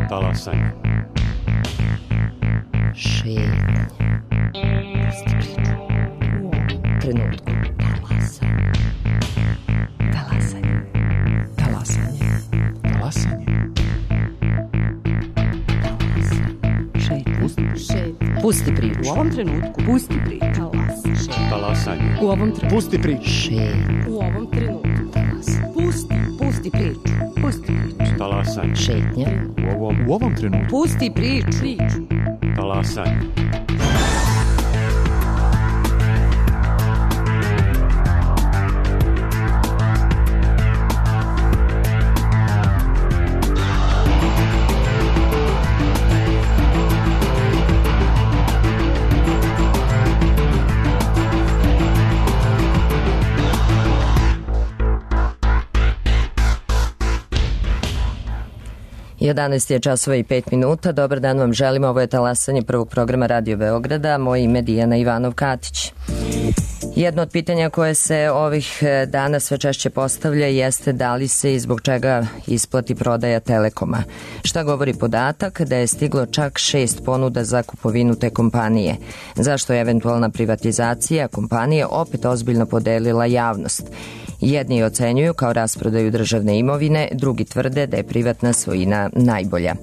Talasanje. Šetnje. Pusti priču. U ovom trenutku. Talasanje. Talasanje. Talasanje. Talasanje. Pusti priču. U ovom trenutku. Pusti priču. Talasanje. U ovom trenutku. Pusti priču. Šetnje. U ovom trenutku. Pusti priču. Pusti priču. Talasanje. Šetnje. U ovom trenutku. Pusti priču. Talasanje. I 11 je časova i 5 minuta. Dobar dan vam želimo. Ovo je talasanje prvog programa Radio Beograda. Moje ime je Dijana Ivanov-Katić. Jedno od pitanja koje se ovih dana sve češće postavlja jeste da li se i zbog čega isplati prodaja Telekoma. Šta govori podatak da je stiglo čak 6 ponuda za kupovinu te kompanije? Zašto je eventualna privatizacija kompanije opet ozbiljno podelila javnost? Jedni ocenjuju kao rasprodaju državne imovine, drugi tvrde da je privatna svojina najbolja.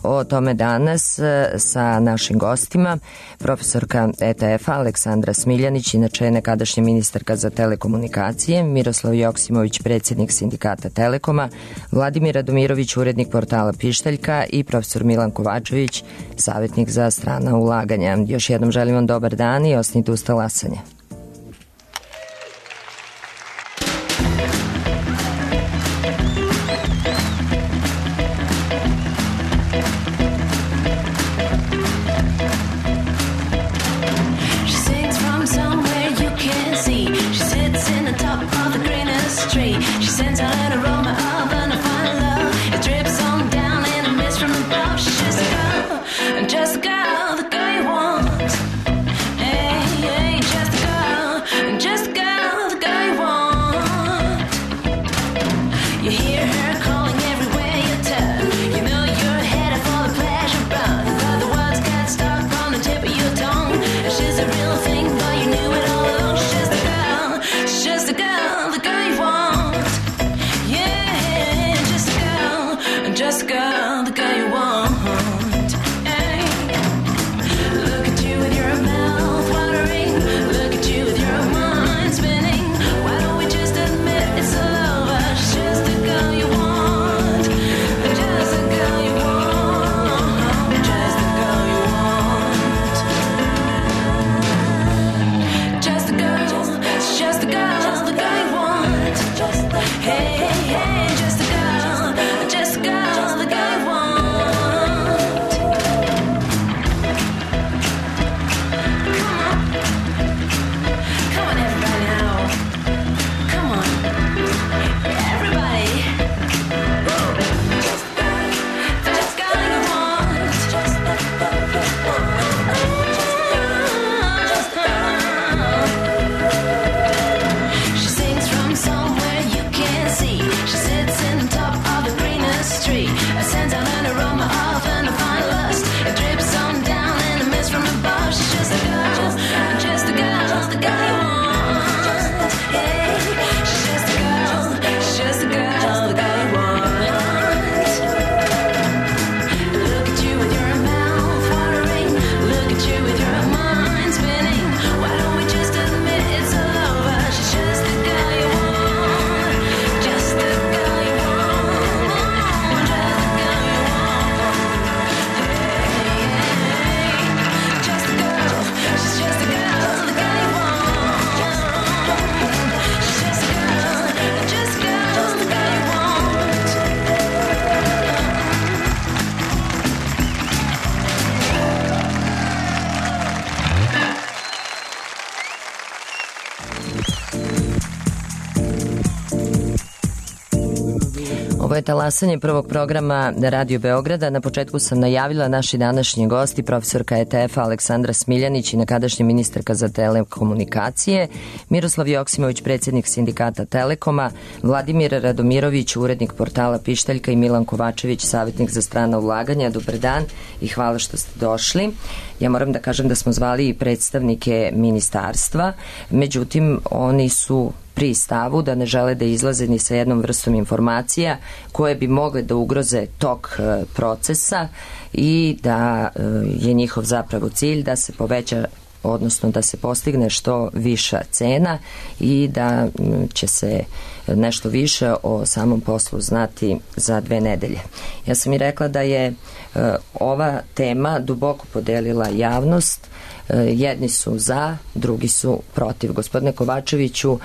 O tome danas sa našim gostima, profesorka ETF-a Aleksandra Smiljanić, inače je nekadašnja ministarka za telekomunikacije, Miroslav Joksimović, predsjednik sindikata Telekoma, Vladimir Radomirović, urednik portala Pištaljka i profesor Milan Kovačević, savjetnik za strana ulaganja. Još jednom želim vam dobar dan i ostanite uz talasanje. Just a girl, the girl you want. Hey, hey, just a girl. Ovo je talasanje prvog programa Radio Beograda. Na početku sam najavila naši današnji gosti, profesorka ETF-a Aleksandra Smiljanić i nekadašnja ministarka za telekomunikacije, Miroslav Joksimović, predsjednik sindikata Telekoma, Vladimir Radomirović, urednik portala Pištaljka i Milan Kovačević, savjetnik za strana ulaganja. Dobar dan i hvala što ste došli. Ja moram da kažem da smo zvali i predstavnike ministarstva, međutim oni su pri stavu da ne žele da izlaze ni sa jednom vrstom informacija koje bi mogle da ugroze tok procesa i da je njihov zapravo cilj da se poveća, odnosno da se postigne što viša cena i da će se nešto više o samom poslu znati za 2 nedelje. Ja sam i rekla da je ova tema duboko podelila javnost. Jedni su za, drugi su protiv. Gospodine Kovačeviću,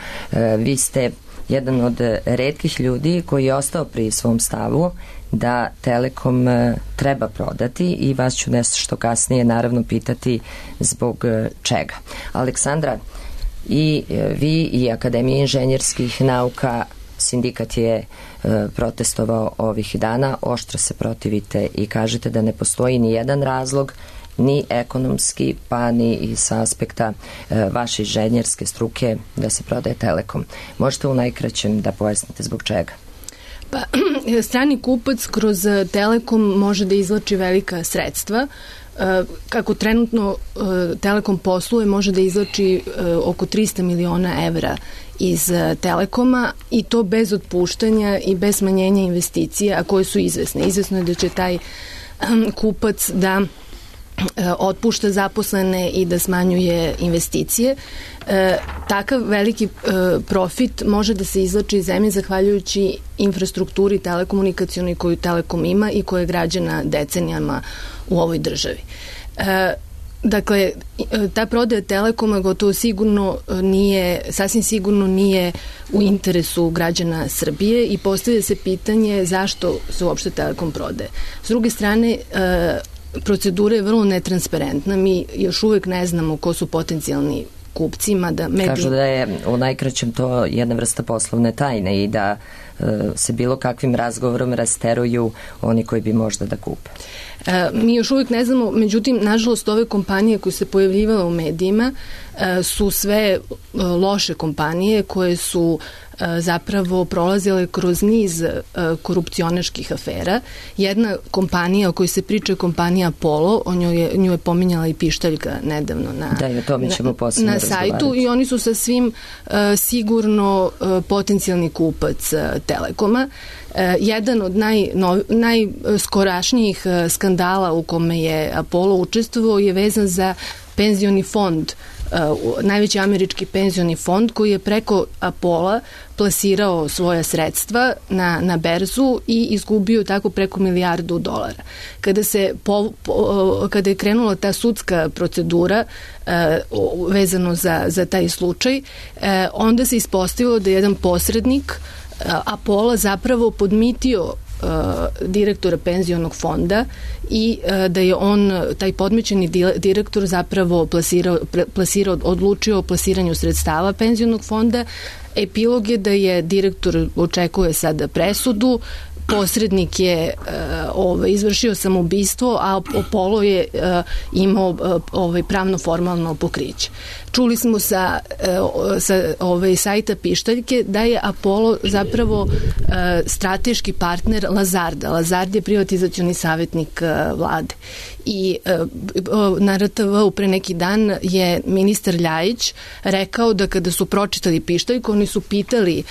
vi ste jedan od retkih ljudi koji je ostao pri svom stavu da Telekom treba prodati i vas ću nešto kasnije naravno pitati zbog čega. Aleksandra, i vi i Akademija inženjerskih nauka, sindikat je protestovao ovih dana, oštro se protivite i kažete da ne postoji ni jedan razlog, ni ekonomski, pa ni i sa aspekta vaše inženjerske struke da se prodaje Telekom. Možete u najkraćem da pojasnite zbog čega? Pa, strani kupac kroz Telekom može da izvlači velika sredstva. Kako trenutno Telekom posluje, može da izvlači oko 300 miliona evra iz Telekoma i to bez otpuštanja i bez smanjenja investicija, a koje su izvesne. Izvesno je da će taj kupac da otpušta zaposlene i da smanjuje investicije. Takav veliki profit može da se izvlači iz zemlje zahvaljujući infrastrukturi telekomunikacionoj koju Telekom ima i koja je građena decenijama u ovoj državi. Dakle, ta prodaja Telekoma gotovo sigurno sasvim sigurno nije u interesu građana Srbije i postavlja se pitanje zašto se uopšte Telekom prodaje. S druge strane, procedura je vrlo netransparentna. Mi još uvek ne znamo ko su potencijalni kupci. Kažu da je u najkraćem to jedna vrsta poslovne tajne i da se bilo kakvim razgovorom rasteruju oni koji bi možda da kupe. Mi još uvijek ne znamo, međutim, nažalost, ove kompanije koje se pojavljivale u medijima su sve loše kompanije koje su zapravo prolazile kroz niz korupcionaških afera. Jedna kompanija o kojoj se priča je kompanija Apollo, nju je pominjala i Pištaljka nedavno na sajtu i oni su sa svim sigurno potencijalni kupac Telekoma. Jedan od najskorašnijih skandala u kome je Apollo učestvovao je vezan za penzioni fond, najveći američki penzioni fond koji je preko Apollo plasirao svoja sredstva na berzu i izgubio tako preko $1 milijardu. Kada je krenula ta sudska procedura vezano za taj slučaj, onda se ispostavilo da je jedan posrednik Apollo zapravo podmitio direktora penzionog fonda i da je on, taj podmećeni direktor zapravo odlučio o plasiranju sredstava penzionog fonda. Epilog je da je direktor očekuje sada presudu, posrednik je izvršio samoubistvo, a Apollo je imao pravno formalno pokriće. Čuli smo sa sajta Pištaljke da je Apollo zapravo strateški partner Lazarda. Lazard je privatizacioni savjetnik vlade. I na RTV-u pre neki dan je ministar Ljajić rekao da kada su pročitali Pištaljku, oni su pitali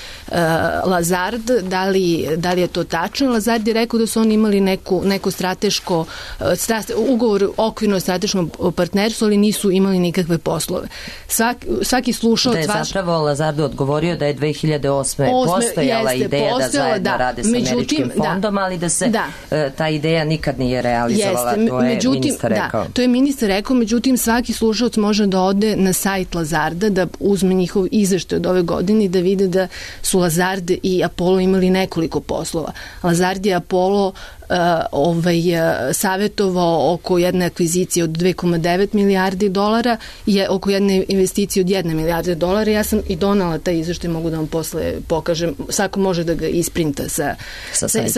Lazard da li je to tačno. Lazard je rekao da su oni imali neko strateško ugovor okvirno strateškom partnerstvu, ali nisu imali nikakve poslove. Svaki slušalac... Da je zapravo Lazardu odgovorio da je 2008. postojala ideja da zajedno rade sa američkim fondom, ali da se ta ideja nikad nije realizovala. To je ministar rekao. To je ministar rekao, međutim svaki slušalac može da ode na sajt Lazarda, da uzme njihov izveštaj od ove godine i da vide da su Lazard i Apollo imali nekoliko poslova. Lazard je Apollo savjetovao oko jedne akvizicije od 2,9 milijardi dolara i oko jedne investicije od 1 milijarde dolara. Ja sam i donala taj izveštaj, mogu da vam posle pokažem. Svako može da ga isprinta sa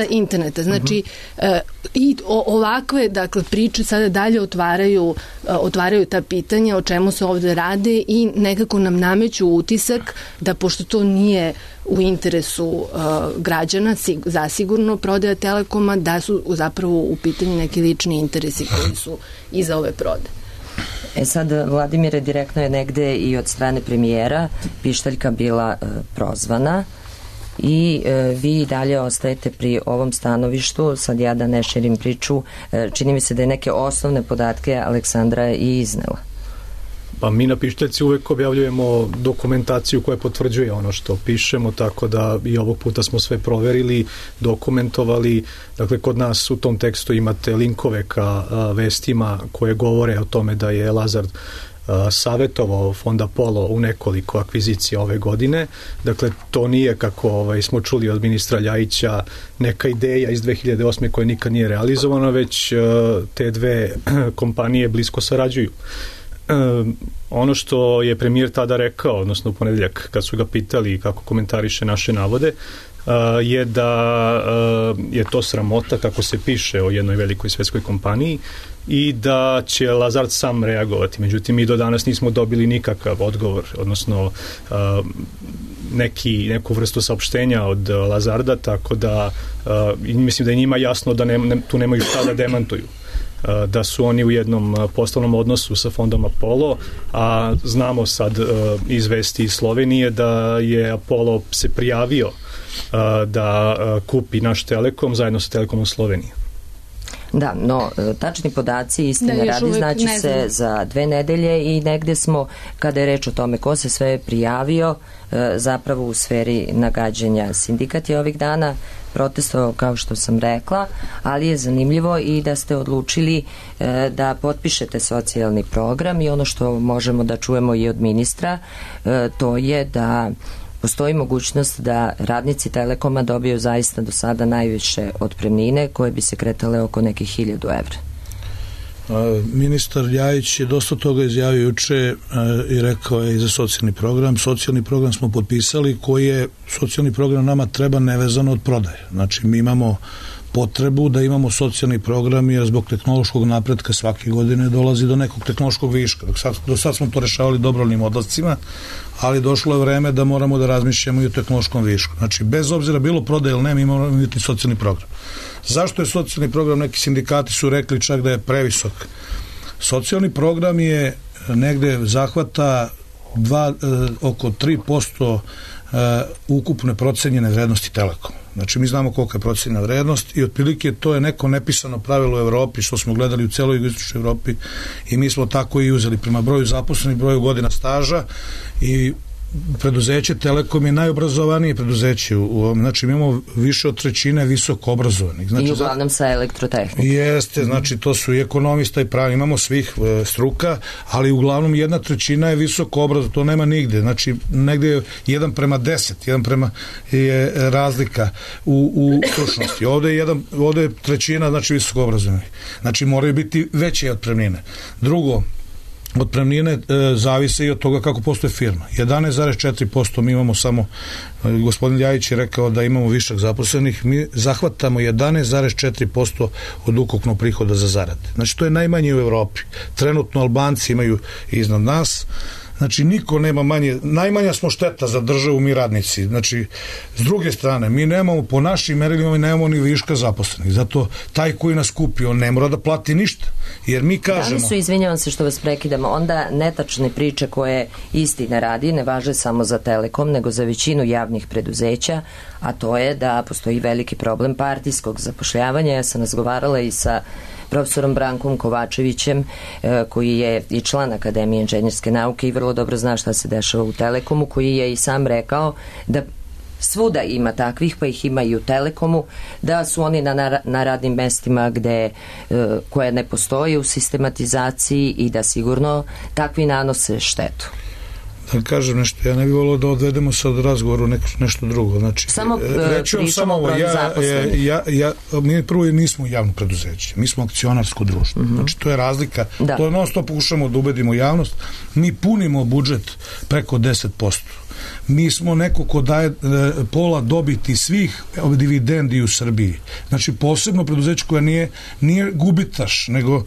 interneta. Znači, i ovakve, dakle, priče sada dalje otvaraju ta pitanja o čemu se ovde rade i nekako nam nameću utisak da, pošto to nije u interesu građana, zasigurno prodaja Telekoma, da su zapravo u pitanju neki lični interesi koji su iza ove prodaje. Sad, Vladimire, direktno je negde i od strane premijera pištaljka bila prozvana i vi i dalje ostajete pri ovom stanovištu. Sad ja da ne širim priču, čini mi se da je neke osnovne podatke Aleksandra i iznela. Pa mi na pištaljci uvek objavljujemo dokumentaciju koja potvrđuje ono što pišemo, tako da i ovog puta smo sve proverili, dokumentovali. Dakle, kod nas u tom tekstu imate linkove ka vestima koje govore o tome da je Lazard savjetovao Fond Apollo u nekoliko akvizicija ove godine. Dakle, to nije, kako smo čuli od ministra Ljajića, neka ideja iz 2008. koja nikad nije realizovana, već te dve kompanije blisko sarađuju. Ono što je premijer tada rekao, odnosno u ponedeljak kad su ga pitali kako komentariše naše navode, je da je to sramota kako se piše o jednoj velikoj svetskoj kompaniji i da će Lazard sam reagovati. Međutim, mi do danas nismo dobili nikakav odgovor, odnosno neku vrstu saopštenja od Lazarda, tako da mislim da je njima jasno da tu nemaju šta da demantuju, da su oni u jednom poslovnom odnosu sa fondom Apollo, a znamo sad iz vesti iz Slovenije da je Apollo se prijavio da kupi naš Telekom zajedno sa Telekomom Slovenije. Da, no, tačni podaci, istine radi, znači se za 2 nedelje i negde smo, kada je reč o tome ko se sve prijavio, zapravo u sferi nagađanja. Sindikat je ovih dana protestovao, kao što sam rekla, ali je zanimljivo i da ste odlučili da potpišete socijalni program i ono što možemo da čujemo i od ministra, to je da postoji mogućnost da radnici Telekoma dobiju zaista do sada najviše otpremnine koje bi se kretale oko nekih 1000 evra. Ministar Ljajić je dosta toga izjavio juče i rekao je i za socijalni program. Socijalni program smo potpisali, koji je socijalni program nama treba nevezano od prodaje. Znači, mi imamo potrebu da imamo socijalni program jer zbog tehnološkog napretka svake godine dolazi do nekog tehnološkog viška. Do sad smo to rešavali dobrovoljnim odlascima, ali došlo je vreme da moramo da razmišljamo i o tehnološkom višku. Znači, bez obzira bilo prodaje ili ne, mi moramo imati socijalni program. Zašto je socijalni program? Neki sindikati su rekli čak da je previsok. Socijalni program je negde zahvata oko 3% ukupne procenjene vrednosti Telekoma. Znači, mi znamo kolika je procenjena vrednost i otprilike to je neko nepisano pravilo u Evropi, što smo gledali u celoj jugoistočnoj Evropi i mi smo tako i uzeli prema broju zaposlenih, broju godina staža i preduzeće Telekom je najobrazovanije preduzeće u ovom, znači mi imamo više od 1/3 visoko obrazovanih. Znači, i uglavnom sa elektrotehnikom. Jeste, znači to su i ekonomista i pravi, imamo svih struka, ali uglavnom 1/3 je visoko obrazovano, to nema nigde, znači negde je 1:10, 1 je razlika u stručnosti. Ovde je 1/3, znači visoko obrazovanih. Znači moraju biti veće otpremnine. Drugo, otpremnine zavise i od toga kako postoje firma. 11,4% mi imamo samo, gospodin Ljajić je rekao da imamo višak zaposlenih, mi zahvatamo 11,4% od ukupnog prihoda za zarade. Znači to je najmanje u Evropi. Trenutno Albanci imaju iznad nas, znači niko nema manje, najmanja smo šteta za državu mi radnici. Znači, s druge strane, mi nemamo, po našim merilima, nemamo ni viška zaposlenih. Zato taj koji nas kupi, on ne mora da plati ništa. Jer mi kažemo... Da li su, izvinjavam se što vas prekidamo, onda netačne priče koje istina radi ne važe samo za Telekom, nego za većinu javnih preduzeća, a to je da postoji veliki problem partijskog zapošljavanja. Ja sam razgovarala i sa profesorom Brankom Kovačevićem, koji je i član Akademije inženjerske nauke i vrlo dobro zna šta se dešava u Telekomu, koji je i sam rekao da svuda ima takvih, pa ih ima i u Telekomu, da su oni na radnim mestima koje ne postoje u sistematizaciji i da sigurno takvi nanose štetu. kažem nešto, ja ne bih volio da odvedemo sad razgovor u nešto drugo. Znači, samo pričamo o broju zaposlenih. Mi prvo nismo javno preduzeće, mi smo akcionarsko društvo. Znači, to je razlika. To je non stop pokušamo da ubedimo javnost. Mi punimo budžet preko 10%. Mi smo neko ko daje pola dobiti svih dividendi u Srbiji. Znači, posebno preduzeće koje nije gubitaš, nego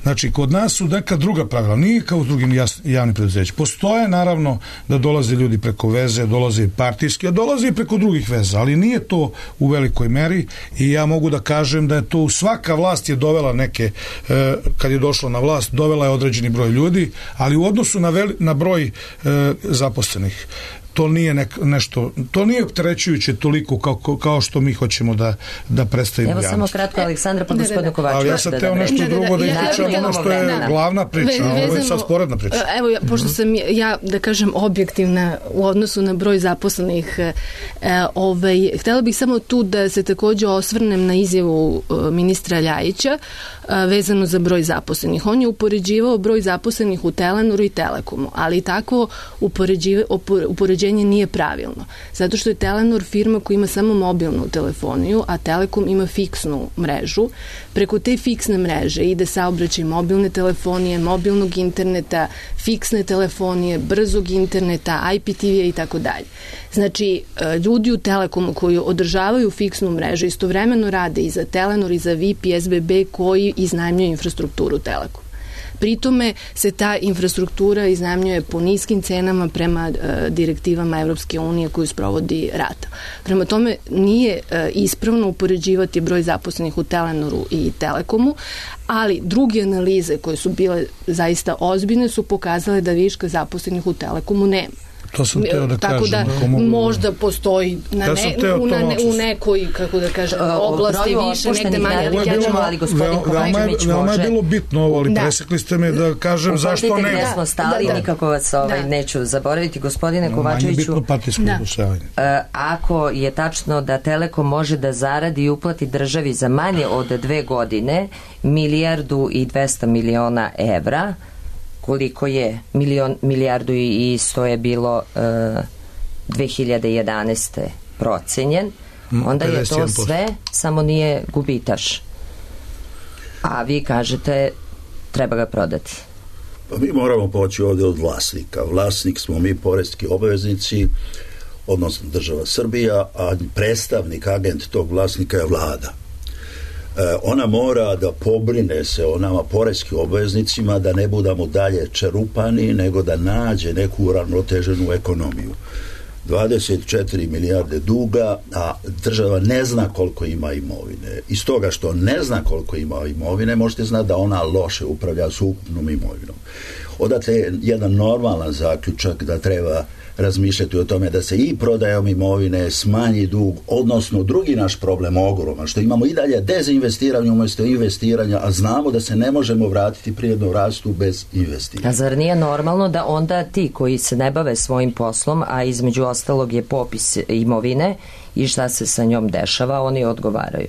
znači, kod nas su neka druga pravila, nije kao u drugim javnim preduzećima. Postoje, naravno, da dolaze ljudi preko veze, dolaze i partijski, a dolaze i preko drugih veza, ali nije to u velikoj meri i ja mogu da kažem da je to svaka vlast je dovela neke, kad je došla na vlast, dovela je određeni broj ljudi, ali u odnosu na broj zaposlenih, to nije nešto, to nije opterećujuće toliko kao što mi hoćemo da predstavimo javnost. Evo samo kratko, Aleksandra, pa gospodinu Kovačeviću. Ali ja sam teo nešto drugo da pričam, ono što je glavna priča, a ovo je sad sporedna priča. Evo, pošto sam ja, da kažem, objektivna u odnosu na broj zaposlenih, htela bih samo tu da se takođe osvrnem na izjavu ministra Ljajića vezano za broj zaposlenih. On je upoređivao broj zaposlenih u Telenoru i Telekomu, ali tako upoređenje nije pravilno. Zato što je Telenor firma koja ima samo mobilnu telefoniju, a Telekom ima fiksnu mrežu. Preko te fiksne mreže ide saobraćaj mobilne telefonije, mobilnog interneta, fiksne telefonije, brzog interneta, IPTV-a i tako dalje. Znači, ljudi u Telekomu koji održavaju fiksnu mrežu istovremeno rade i za Telenor i za VIP i SBB koji iznajmljuju infrastrukturu Telekom. Pritome se ta infrastruktura iznajmljuje po niskim cenama prema direktivama Evropske unije koju sprovodi RATA. Prema tome nije ispravno upoređivati broj zaposlenih u Telenoru i Telekomu, ali druge analize koje su bile zaista ozbiljne su pokazale da viška zaposlenih u Telekomu nema. To sam teo da tako kažem. Tako da možda postoji u nekoj, kako da kažem, oblasti više, negde manje. Ali gospodin Kovačević može... Veoma je bilo bitno ovo, ali presekli ste me da kažem zašto ne. Gde smo stali, nikako vas neću zaboraviti. Gospodine Kovačeviću... Manje bitno partijsko udružavanje. Ako je tačno da Telekom može da zaradi i uplati državi za manje od 2 godine 1,2 milijarde evra, koliko je milijardu i 100 je bilo 2011. procenjen, onda je to sve, samo nije gubitaš. A vi kažete treba ga prodati. Pa mi moramo poći ovdje od vlasnika. Vlasnik smo mi, poreski obveznici, odnosno država Srbija, a predstavnik, agent tog vlasnika je vlada. Ona mora da pobrine se o nama poreskim obveznicima da ne budemo dalje čerupani, nego da nađe neku uravnoteženu ekonomiju. 24 milijarde duga, a država ne zna koliko ima imovine. Iz toga što ne zna koliko ima imovine, možete znati da ona loše upravlja s ukupnom imovinom. Odatle je jedan normalan zaključak da treba razmišljati o tome da se i prodajom imovine smanji dug, odnosno drugi naš problem ogroman, što imamo i dalje dezinvestiranje umjesto investiranja, a znamo da se ne možemo vratiti prirodnom rastu bez investiranja. A zar nije normalno da onda ti koji se ne bave svojim poslom, a između ostalog je popis imovine i šta se sa njom dešava, oni odgovaraju?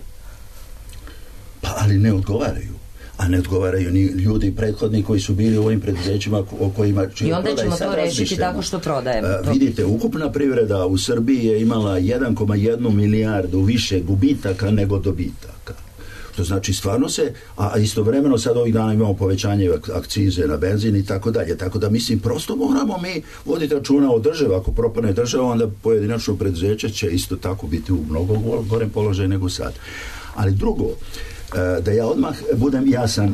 Pa ali ne odgovaraju. A ne odgovaraju ni ljudi prethodni koji su bili u ovim preduzećima o kojima... I onda ćemo to rešiti tako što prodajemo. Vidite, ukupna privreda u Srbiji je imala 1,1 milijardu više gubitaka nego dobitaka. Što znači stvarno se, a istovremeno sad ovih dana imamo povećanje akcize na benzin i tako dalje. Tako da mislim, prosto moramo mi voditi računa o državi. Ako propane država, onda pojedinačno preduzeće će isto tako biti u mnogo gorem položaju nego sad. Ali drugo, da ja odmah budem jasan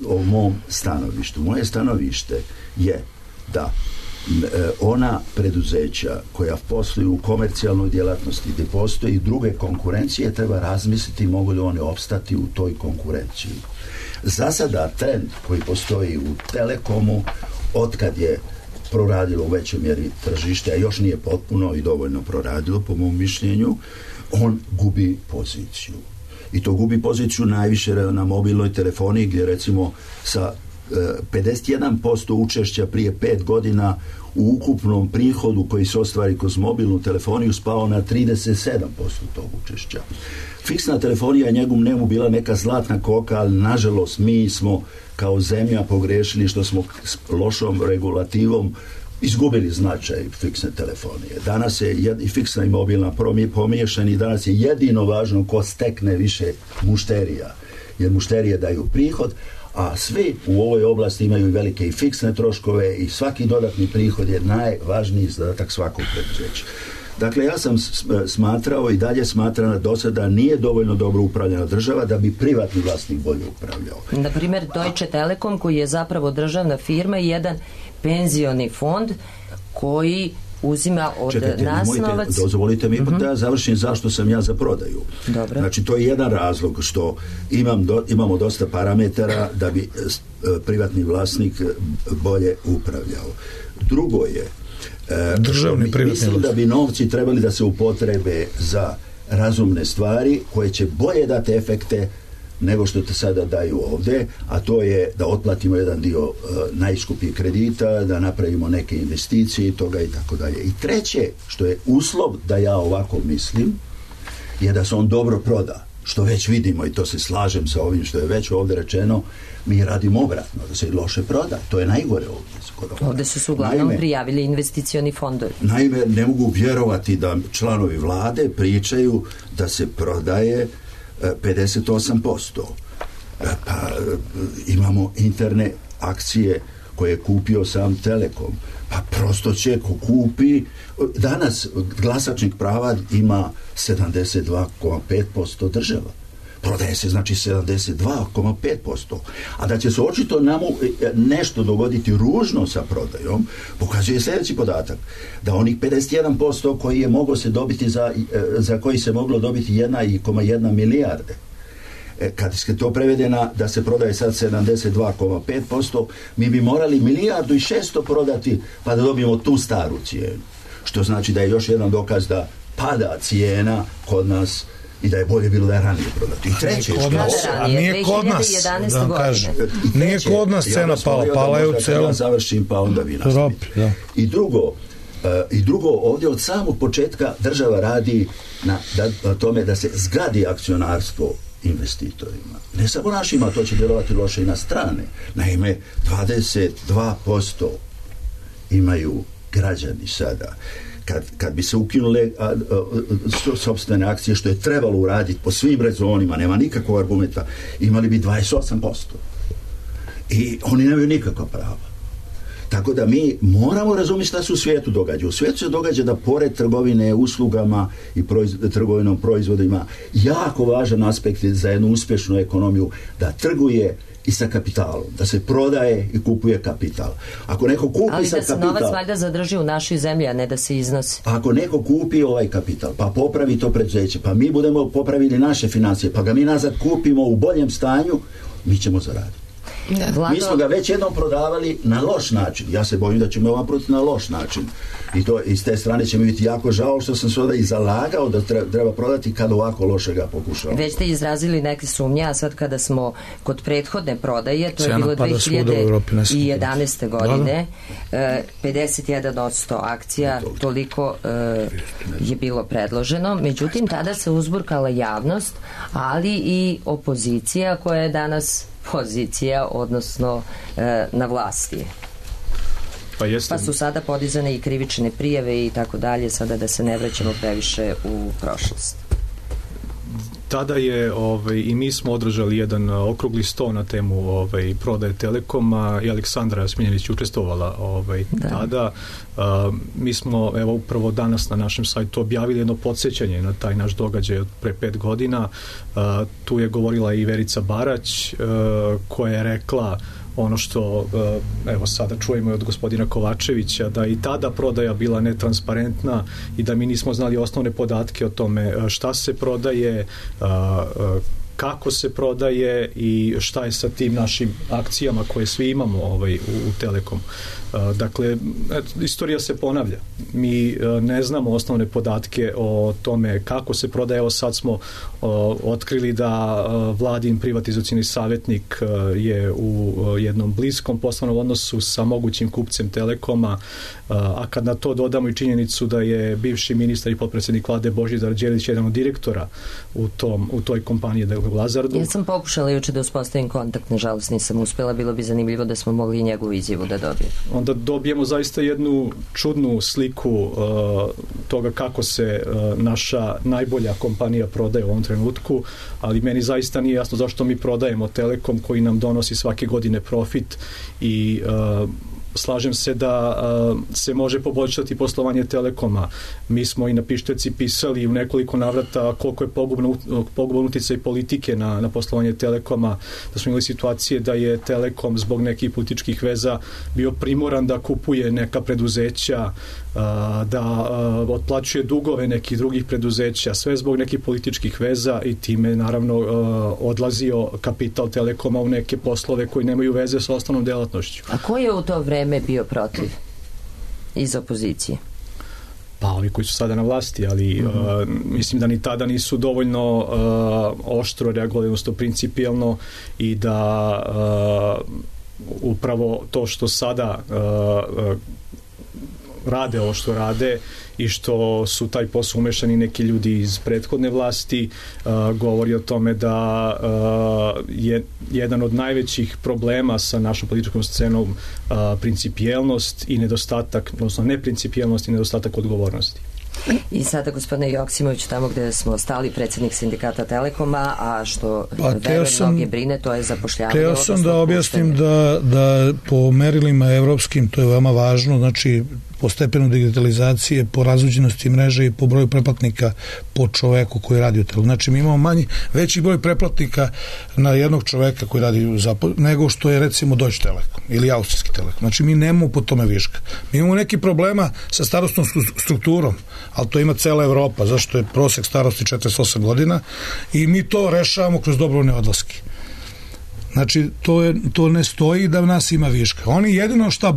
o mom stanovištu. Moje stanovište je da ona preduzeća koja posluju u komercijalnoj djelatnosti gdje postoji i druge konkurencije, treba razmisliti mogu li one opstati u toj konkurenciji. Za sada trend koji postoji u Telekomu, otkad je proradilo u većoj mjeri tržište, a još nije potpuno i dovoljno proradilo po mom mišljenju, on gubi poziciju. I to gubi poziciju najviše na mobilnoj telefoniji gdje recimo sa 51% učešća prije 5 godina u ukupnom prihodu koji se ostvari kroz mobilnu telefoniju spao na 37% tog učešća. Fiksna telefonija je njemu bila neka zlatna koka, ali nažalost mi smo kao zemlja pogrešili što smo s lošom regulativom izgubili značaj fiksne telefonije. Danas je i fiksna i mobilna pomiješani, danas je jedino važno ko stekne više mušterija, jer mušterije daju prihod, a svi u ovoj oblasti imaju velike i fiksne troškove i svaki dodatni prihod je najvažniji zadatak svakog preduzeća. Dakle, ja sam smatrao i dalje smatram do sada nije dovoljno dobro upravljena država da bi privatni vlasnik bolje upravljao. Na primjer, Deutsche Telekom, koji je zapravo državna firma i jedan penzioni fond koji uzima od nas novac. Dozvolite mi da završim zašto sam ja za prodaju. Dobro. Znači, to je jedan razlog što imamo dosta parametara da bi privatni vlasnik bolje upravljao. Drugo je, mislim da bi novci trebali da se upotrebe za razumne stvari koje će bolje dati efekte nego što te sada daju ovde, a to je da otplatimo jedan dio najskupljih kredita, da napravimo neke investicije i toga i tako dalje. I treće, što je uslov da ja ovako mislim, je da se on dobro proda, što već vidimo i to se slažem sa ovim što je već ovde rečeno, mi radimo obratno, da se i loše proda. To je najgore ovde. Ovde su se uglavnom prijavili investicioni fondovi. Naime, ne mogu vjerovati da članovi vlade pričaju da se prodaje 58%. Pa imamo interne akcije koje je kupio sam Telekom. Pa prosto će ko kupi. Danas glasačnih prava ima 72,5% država. Prodaje se znači 72,5%. A da će se očito nam nešto dogoditi ružno sa prodajom, pokazuje sljedeći podatak. Da onih 51% koji je moglo se dobiti za koji se moglo dobiti 1,1 milijarde. Kad se to prevede da se prodaje sad 72,5%, mi bi morali 1,6 prodati pa da dobijemo tu staru cijenu. Što znači da je još jedan dokaz da pada cijena kod nas i da je bolje bilo da je ranije prodati. I treće, nije kod nas, da vam kažem. Nije kod nas cena pala je u celom. Ja završim, pa onda vi nastavite. I drugo, ovdje od samog početka država radi na tome da se zgradi akcionarstvo investitorima. Ne samo našima, to će djelovati loše i na strane. Naime, 22% imaju građani sada. Kad bi se ukinule sopstvene akcije, što je trebalo uraditi po svim rezonima, nema nikakvog argumenta, imali bi 28%. I oni nemaju nikakva prava. Tako da mi moramo razumjeti šta se u svijetu događa. U svijetu se događa da pored trgovine uslugama i trgovinom proizvodima jako važan aspekt za jednu uspješnu ekonomiju da trguje i sa kapitalom, da se prodaje i kupuje kapital. Ako neko kupi ali sa da se kapital, novac valjda zadrži u našoj zemlji, a ne da se iznosi. Ako neko kupi ovaj kapital, pa popravi to preduzeće, pa mi budemo popravili naše financije, pa ga mi nazad kupimo u boljem stanju, mi ćemo zaraditi. Vlado... Mi smo ga već jednom prodavali na loš način. Ja se bojim da ćemo ovaj prodati na loš način. I to iz te strane će mi biti jako žao što sam se onda i zalagao da treba prodati kad ovako loše ga pokušao. Već ste izrazili neke sumnje, a sad kada smo kod prethodne prodaje, to je bilo 2011. godine, 51% akcija, toliko je bilo predloženo. Međutim, tada se uzburkala javnost, ali i opozicija koja je danas pozicija, odnosno na vlasti. Pa su sada podizane i krivične prijave i tako dalje, sada da se ne vraćamo previše u prošlost. Tada je i mi smo održali jedan okrugli sto na temu prodaje Telekoma i Aleksandra Smiljanić učestvovala tada. Mi smo upravo danas na našem sajtu objavili jedno podsjećanje na taj naš događaj od pre 5 godina. Tu je govorila i Verica Barać koja je rekla ono što sada čujemo od gospodina Kovačevića, da i tada prodaja bila netransparentna i da mi nismo znali osnovne podatke o tome šta se prodaje, kako se prodaje i šta je sa tim našim akcijama koje svi imamo u Telekom. Dakle, istorija se ponavlja. Mi ne znamo osnovne podatke o tome kako se prodaje. Evo sad smo otkrili da vladin privatizacioni savjetnik je u jednom bliskom poslovnom odnosu sa mogućim kupcem Telekoma, a kad na to dodamo i činjenicu da je bivši ministar i potpredsjednik vlade Božidar Đelić jedan od direktora u toj kompaniji, Novog Lazardu. Ja sam pokušala juče da uspostavim kontakt, nažalost nisam uspela, bilo bi zanimljivo da smo mogli njegovu izjavu da dobijemo. Onda dobijemo zaista jednu čudnu sliku toga kako se naša najbolja kompanija prodaje u ovom trenutku, ali meni zaista nije jasno zašto mi prodajemo Telekom koji nam donosi svake godine profit i slažem se da se može poboljšati poslovanje Telekoma. Mi smo i na Pišteci pisali u nekoliko navrata koliko je poguban uticaj politike na poslovanje Telekoma, da smo imali situacije da je Telekom zbog nekih političkih veza bio primoran da kupuje neka preduzeća, da otplaćuje dugove nekih drugih preduzeća, sve zbog nekih političkih veza i time naravno odlazio kapital Telekoma u neke poslove koji nemaju veze sa osnovnom delatnošću. A ko je u to vreme bio protiv iz opozicije? Pa ovi koji su sada na vlasti, ali mislim da ni tada nisu dovoljno oštro reagovali, odnosno principijelno, i da upravo to što sada rade ovo što rade i što su taj posao umešani neki ljudi iz prethodne vlasti, govori o tome da je jedan od najvećih problema sa našom političkom scenom principijelnost i nedostatak, odnosno neprincipijelnost i nedostatak odgovornosti. I sada, gospodine Joksimović, tamo gde smo stali, predsjednik sindikata Telekoma, a što mnoge brine, to je zapošljavanje. Teo sam da objasnim da po merilima evropskim, to je veoma važno, znači po stepenu digitalizacije, po razvođenosti mreže i po broju preplatnika po čoveku koji radi u Telekomu. Znači mi imamo veći broj preplatnika na jednog čoveka koji radi nego što je recimo Deutsche Telekom ili Austrijski Telekom. Znači mi nemamo po tome viška. Mi imamo neki problema sa starostnom strukturom, ali to ima cela Evropa, zašto je prosek starosti 48 godina i mi to rešavamo kroz dobrovoljne odlaske. Znači, to ne stoji da nas ima viška. Oni jedino šta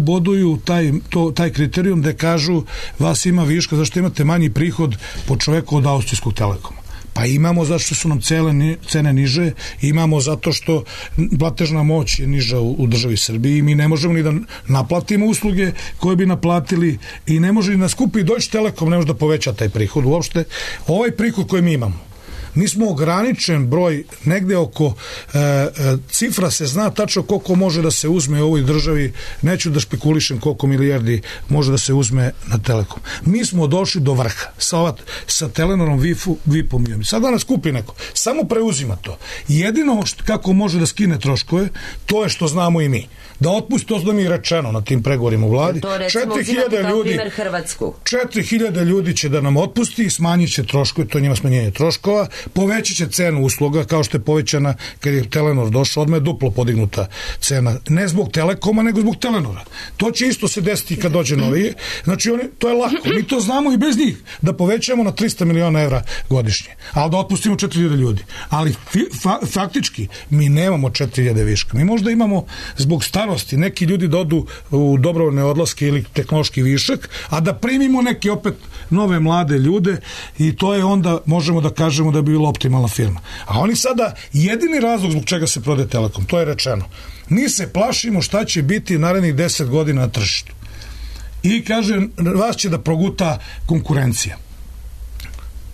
boduju taj kriterijum da kažu vas ima viška, zašto imate manji prihod po čoveku od Austrijskog Telekoma. Pa imamo zato što su nam cene niže, imamo zato što platežna moć je niža u državi Srbiji i mi ne možemo ni da naplatimo usluge koje bi naplatili i ne može ni da skupi Deutsche Telekom, ne može da poveća taj prihod. Uopšte, ovaj prihod koji mi imamo, mi smo ograničen broj, negde oko cifra se zna tačno koliko može da se uzme u ovoj državi, neću da špekulišem koliko milijardi može da se uzme na Telekom. Mi smo došli do vrha sa Telenorom, VIP-om i sad da nas kupi neko, samo preuzima to. Jedino kako može da skine troškove, to je što znamo i mi. Da otpusti, to da mi je rečeno na tim pregovorima u vladi. 4.000 ljudi će da nam otpusti i smanjit će troškove, to je njima smanjenje troškova, povećat će cenu usluga kao što je povećana kad je Telenor došao, odmah je duplo podignuta cena, ne zbog Telekoma nego zbog Telenora. To će isto se desiti kad dođe novi. Znači to je lako, mi to znamo i bez njih, da povećamo na 300 miliona evra godišnje, ali da otpustimo 4.000 ljudi, ali faktički mi nemamo 4.000 viška, mi možda imamo zbog starosti neki ljudi da odu u dobrovoljne odlaske ili tehnološki višak, a da primimo neke opet nove mlade ljude i to je onda, možemo da kažemo da bi bila optimalna firma. A oni sada, jedini razlog zbog čega se prodaje Telekom, to je rečeno, mi se plašimo šta će biti narednih 10 godina na tržištu. I kaže, vas će da proguta konkurencija.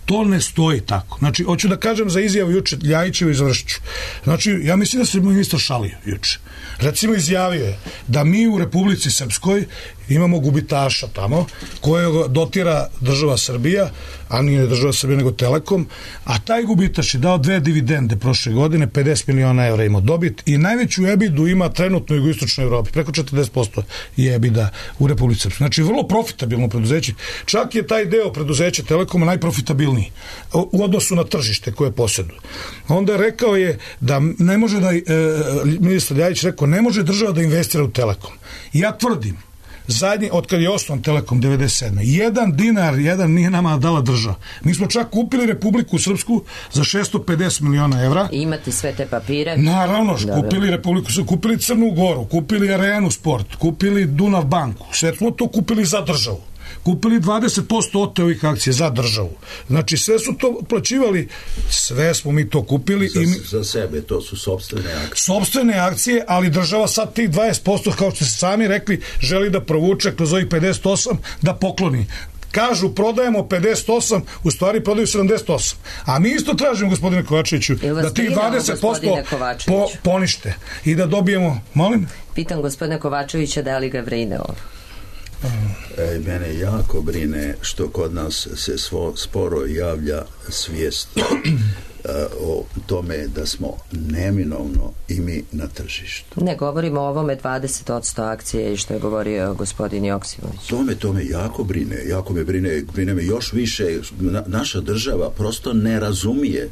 To ne stoji tako. Znači, hoću da kažem za izjavu juče Ljajićevu i završiću. Znači, ja mislim da se ministar šalio juče. Recimo, izjavio je da mi u Republici Srpskoj imamo gubitaša tamo, koje dotira država Srbija, a nije država Srbija nego Telekom, a taj gubitaš je dao 2 dividende prošle godine, 50 miliona evra ima dobit i najveću EBITDA ima trenutno u jugoistočnoj Evropi, preko 40% je EBITDA u Republici Srpskoj. Znači, vrlo profitabilno preduzeće. Čak je taj deo preduzeća Telekoma najprofitabilniji u odnosu na tržište koje posjeduje. Onda rekao je da ne može da, ministar Ljajić rekao, ne može država da investira u Telekom. Ja tvrdim, zadnji, od kad je osnovan Telekom 97. 1 dinar nije nama dala država. Mi smo čak kupili Republiku Srpsku za 650 miliona evra. I imate sve te papire? Naravno, kupili Republiku Srpsku, kupili Crnu Goru, kupili Arenu Sport, kupili Dunav banku. Sve smo to kupili za državu. Kupili 20% od ovih akcija za državu. Znači, sve su to plaćivali, sve smo mi to kupili. Za sebe, to su sopstvene akcije. Sopstvene akcije, ali država sad tih 20%, kao što ste sami rekli, želi da provuče kroz ovih 58, da pokloni. kažu prodajemo 58, u stvari prodaju 78. A mi isto tražimo, gospodine Kovačeviću, da tih 20% ponište i da dobijemo, molim? Pitam gospodine Kovačevića da li ga brine ovo? Mene jako brine što kod nas se sporo javlja svijest o tome da smo neminovno i mi na tržištu. Ne govorimo o ovome 20% akcije i što je govorio gospodin Joksimović. To me jako me brine me još više. Naša država prosto ne razumije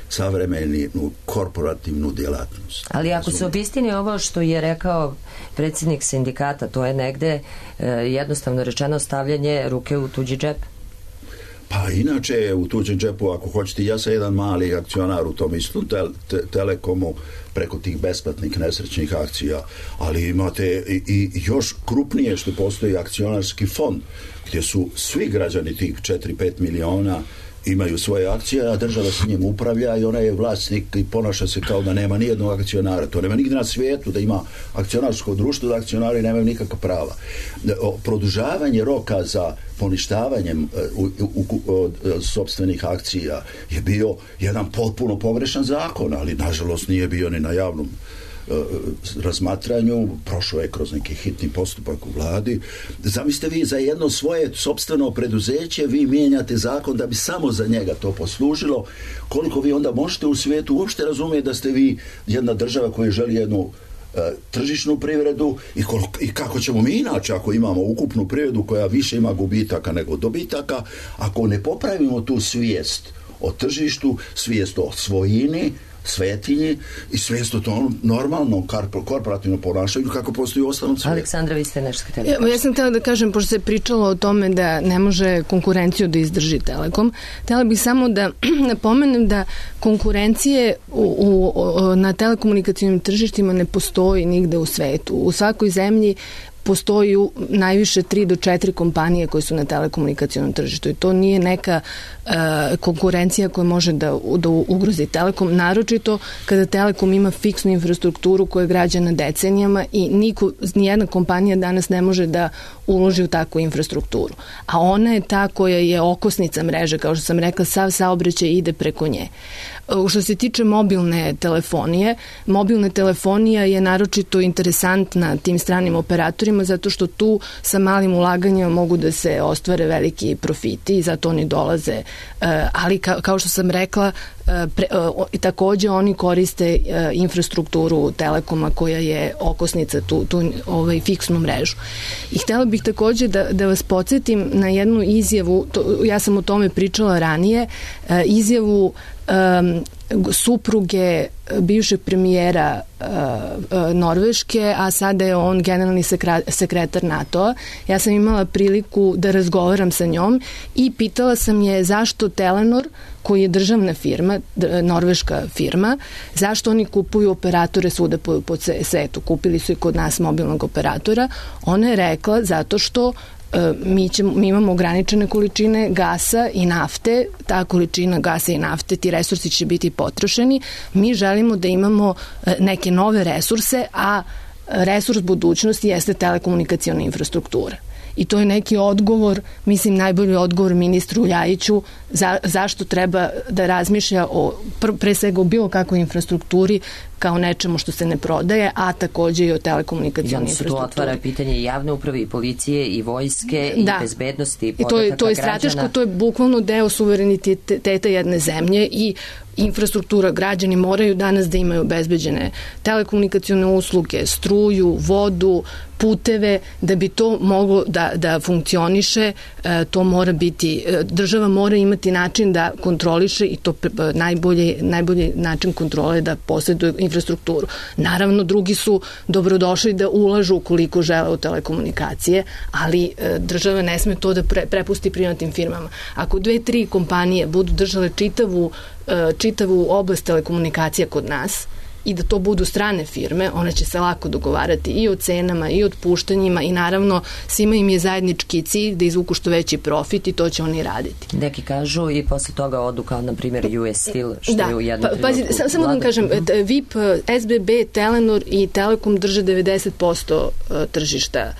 savremenu korporativnu djelatnost. Ali ako se obistini ovo što je rekao predsjednik sindikata, to je negde jednostavno rečeno stavljanje ruke u tuđi džep. Pa inače u tuđem džepu, ako hoćete, ja sam jedan mali akcionar u tom istom Telekomu preko tih besplatnih nesrećnih akcija, ali imate i još krupnije što postoji akcionarski fond gdje su svi građani tih 4-5 miliona imaju svoje akcije, a država s njim upravlja i ona je vlasnik i ponaša se kao da nema nijednog akcionara. To nema nigdje na svijetu da ima akcionarsko društvo, da akcionari nemaju nikakva prava. Produžavanje roka za poništavanjem sopstvenih akcija je bio jedan potpuno pogrešan zakon, ali nažalost nije bio ni na javnom razmatranju, prošao je kroz neki hitni postupak u vladi. Zamislite vi za jedno svoje sopstveno preduzeće vi mijenjate zakon da bi samo za njega to poslužilo. Koliko vi onda možete u svijetu uopšte razumjeti da ste vi jedna država koja želi jednu tržišnu privredu i kako ćemo mi inače ako imamo ukupnu privredu koja više ima gubitaka nego dobitaka, ako ne popravimo tu svijest o tržištu, svijest o svojini, svetinji i svijest o tom normalnom korporativnom ponašanju kako postoji u ostalom svijetu. Aleksandra, vi ste nešto htjeli. Ja sam htjela da kažem, pošto se pričalo o tome da ne može konkurenciju da izdrži Telekom, htjela bih samo da napomenem da konkurencije na telekomunikacijnim tržištima ne postoji nigde u svetu. U svakoj zemlji postoji najviše 3 do 4 kompanije koje su na telekomunikacijnom tržištu i to nije neka konkurencija koja može da ugrozi Telekom, naročito kada Telekom ima fiksnu infrastrukturu koja je građena decenijama i nijedna kompanija danas ne može da uloži u takvu infrastrukturu. A ona je ta koja je okosnica mreže, kao što sam rekla, sav saobraćaj ide preko nje. Što se tiče mobilna telefonija je naročito interesantna tim stranim operatorima zato što tu sa malim ulaganjima mogu da se ostvare veliki profiti i zato oni dolaze. Ali kao što sam rekla, takođe oni koriste infrastrukturu Telekoma koja je okosnica tu fiksnu mrežu. I htjela bih takođe da vas podsjetim na jednu izjavu, ja sam o tome pričala ranije, izjavu supruge bivšeg premijera Norveške, a sada je on generalni sekretar NATO-a. Ja sam imala priliku da razgovaram sa njom i pitala sam je zašto Telenor, koji je državna firma, norveška firma, zašto oni kupuju operatore svuda po svetu. Kupili su i kod nas mobilnog operatora. Ona je rekla zato što mi imamo ograničene količine gasa i nafte, ta količina gasa i nafte, ti resursi će biti potrošeni, mi želimo da imamo neke nove resurse, a resurs budućnosti jeste telekomunikacijona infrastruktura. I to je neki odgovor, mislim najbolji odgovor ministru Ljajiću zašto treba da razmišlja pre svega o bilo kakvoj infrastrukturi kao nečemu što se ne prodaje, a takođe i o telekomunikacijnoj infrastrukturi. Tu otvara pitanje i javne uprave, i policije, i vojske, i bezbednosti, i podataka građana. To je strateško, to je bukvalno deo suvereniteta jedne zemlje i infrastruktura. Građani moraju danas da imaju obezbeđene telekomunikacijone usluge, struju, vodu, puteve, da bi to moglo da funkcioniše, to mora biti, država mora imati način da kontroliše i to najbolji način kontrole je da posjeduje infrastrukturu. Naravno, drugi su dobrodošli da ulažu ukoliko žele u telekomunikacije, ali država ne sme to da prepusti privatnim firmama. Ako 2-3 kompanije budu držale čitavu oblast telekomunikacija kod nas i da to budu strane firme, one će se lako dogovarati i o cenama i o otpuštanjima i naravno svima im je zajednički cilj da izvuku što veći profit i to će oni raditi. Neki kažu i posle toga odu kao na primjer US Steel, što je u jednom trenutku. Samo da vam kažem, VIP, SBB, Telenor i Telekom drže 90% tržišta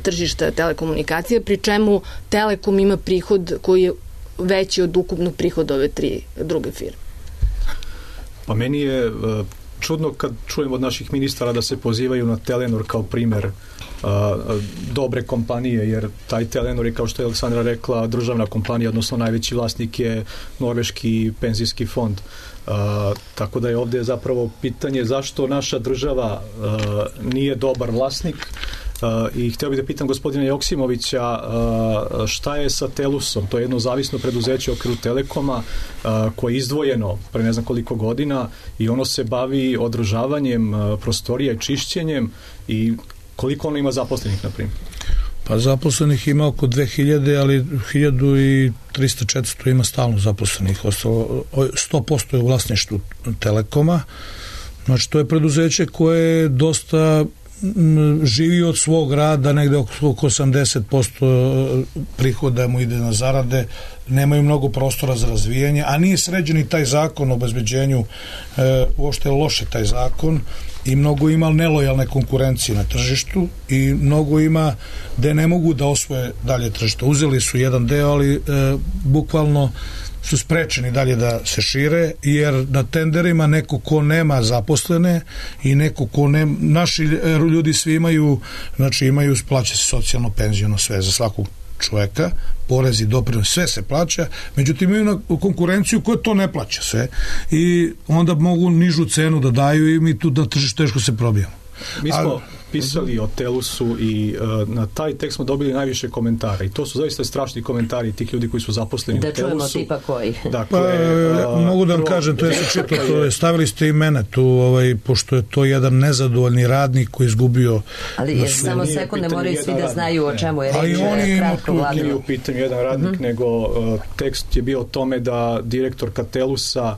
tržišta telekomunikacija, pri čemu Telekom ima prihod koji je veći od ukupnog prihoda ove 3 druge firme. Pa meni je čudno kad čujem od naših ministara da se pozivaju na Telenor kao primer dobre kompanije, jer taj Telenor je, kao što je Aleksandra rekla, državna kompanija, odnosno najveći vlasnik je Norveški penzijski fond. Tako da je ovdje zapravo pitanje zašto naša država nije dobar vlasnik. I htio bih da pitam gospodina Joksimovića šta je sa Telusom, to je jedno zavisno preduzeće u okviru Telekoma koje je izdvojeno pre ne znam koliko godina i ono se bavi održavanjem prostorija i čišćenjem, i koliko ono ima zaposlenih, na primjer? Pa zaposlenih ima oko 2000, ali 1300-400 ima stalno zaposlenih. 100% je u vlasništvu Telekoma. Znači, to je preduzeće koje dosta živi od svog rada, negde oko 80% prihoda mu ide na zarade, nemaju mnogo prostora za razvijanje, a nije sređen i taj zakon o obezbeđenju, uopšte je loše taj zakon, i mnogo ima nelojalne konkurencije na tržištu i mnogo ima gde ne mogu da osvoje dalje tržište. Uzeli su jedan deo, ali bukvalno su sprečeni dalje da se šire, jer na tenderima neko ko nema zaposlene i neko ko nema, naši ljudi svi imaju, znači imaju, plaća se socijalno, penziono, sve za svakog čoveka, porezi, doprinos, sve se plaća, međutim imaju na konkurenciju koja to ne plaća sve i onda mogu nižu cenu da daju i mi tu na tržištu teško se probijamo. Mi smo pisali o Telusu i na taj tekst smo dobili najviše komentara i to su zaista strašni komentari tih ljudi koji su zaposleni u Telusu. Da čujemo tipa koji. Dakle, mogu da vam kažem, to je se čito, stavili ste i mene tu, pošto je to jedan nezadovoljni radnik koji je izgubio. Ali samo sekund, ne moraju svi da znaju o čemu je reč. Kratko glavno. Nije u pitanju jedan radnik, nego tekst je bio o tome da direktorka Telusa,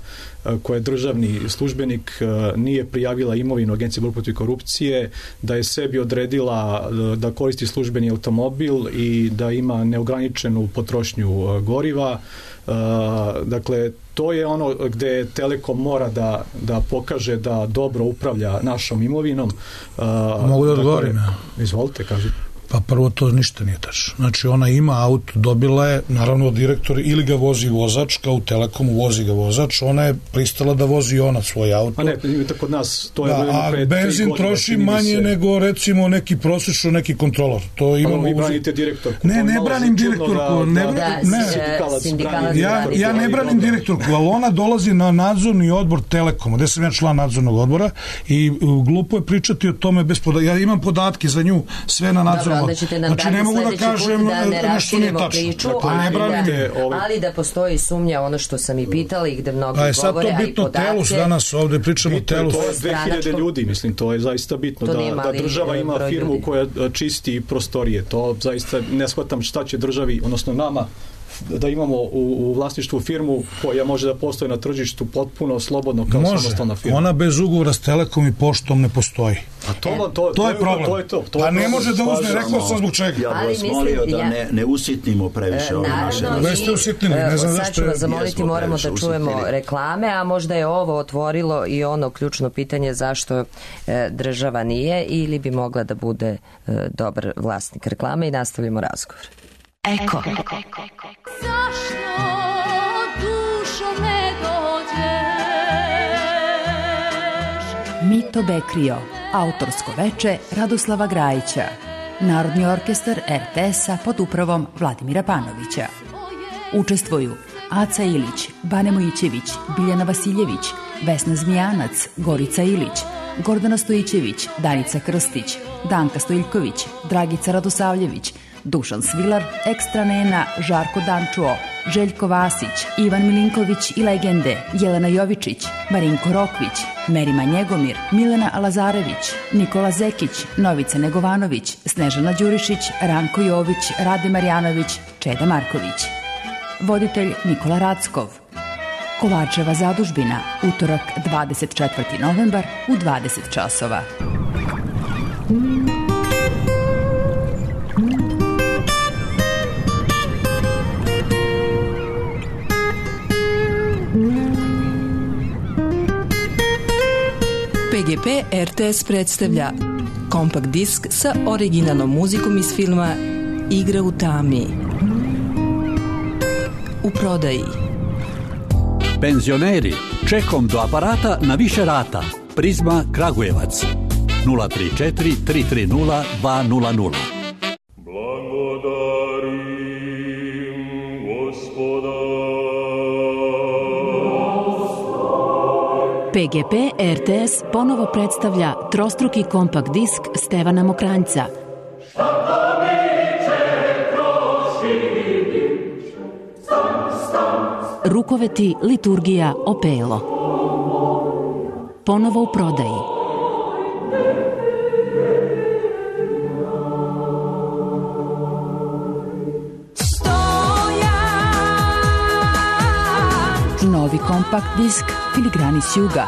koja je državni službenik, nije prijavila imovinu Agenciji borbe protiv korupcije, da je sebi odredila da koristi službeni automobil i da ima neograničenu potrošnju goriva. Dakle, to je ono gde Telekom mora da pokaže da dobro upravlja našom imovinom. Mogu da odgovorim? Izvolite, kažite. Pa prvo, to ništa nije tačno. Znači, ona ima auto, dobila je, naravno, direktor, ili ga vozi vozač, kao u Telekomu vozi ga vozač, ona je pristala da vozi ona svoj auto. A ne, kod nas to je... a benzin troši manje nego, recimo, neki prosečno, neki kontrolor. To imamo... Vi branite direktorku. Ne branim direktorku. Ja ne branim direktorku, ali ona dolazi na nadzorni odbor Telekoma, gde sam ja član nadzornog odbora, i glupo je pričati o tome bez podataka. Ja imam podatke za nju, sve na nadzornom. Znači, ne mogu da kažem nešto nije tačno. Ali da postoji sumnja, ono što sam i pitala i gde mnogi govore, sad to bitno, Telus danas ovde pričamo o Telusu. To je 2000 ljudi, mislim, to je zaista bitno, da država ima firmu koja čisti prostorije. To zaista ne shvatam šta će državi, odnosno nama, da imamo u vlasništvu firmu koja može da postoji na tržištu potpuno slobodno kao samostalna firma. Ona bez ugovora s Telekom i poštom ne postoji. A to je problem. A ne može da uzme, rekao sam zbog čega. Ja vas molio da ne usitnimo previše ove naše. Ne ste usitnili, ne znam zašto. Sad ću vas zamoliti, moramo da čujemo reklame, a možda je ovo otvorilo i ono ključno pitanje zašto država nije ili bi mogla da bude dobar vlasnik reklame, i nastavljamo razgovor. Eko. Zašto dušo ne dođeš? Mito Bekrio, autorsko veče Radoslava Grajića, Narodni orkestar RTS-a pod upravom Vladimira Panovića. Učestvuju Aca Ilić, Bane Mojićević, Biljana Vasiljević, Vesna Zmijanac, Gorica Ilić, Gordana Stojićević, Danica Krstić, Danka Stojiljković, Dragica Radosavljević, Dušan Svilar, Ekstra Nena, Žarko Dančuo, Željko Vasić, Ivan Milinković i legende, Jelena Jovičić, Marinko Rokvić, Merima Njegomir, Milena Lazarević, Nikola Zekić, Novica Negovanović, Snežana Đurišić, Ranko Jović, Rade Marjanović, Čeda Marković. Voditelj Nikola Rackov. Kovačeva zadužbina, utorak 24. novembar u 20 časova. PGP RTS predstavlja kompakt disk sa originalnom muzikom iz filma Igra u tami. U prodaji. Penzioneri, čekom do aparata na više rata. Prizma Kragujevac 034 330 200. PGP RTS ponovo predstavlja trostruki kompakt disk Stevana Mokranjca. Rukoveti, liturgija, opelo. Ponovo u prodaji. Novi kompakt disk Filigrani s juga.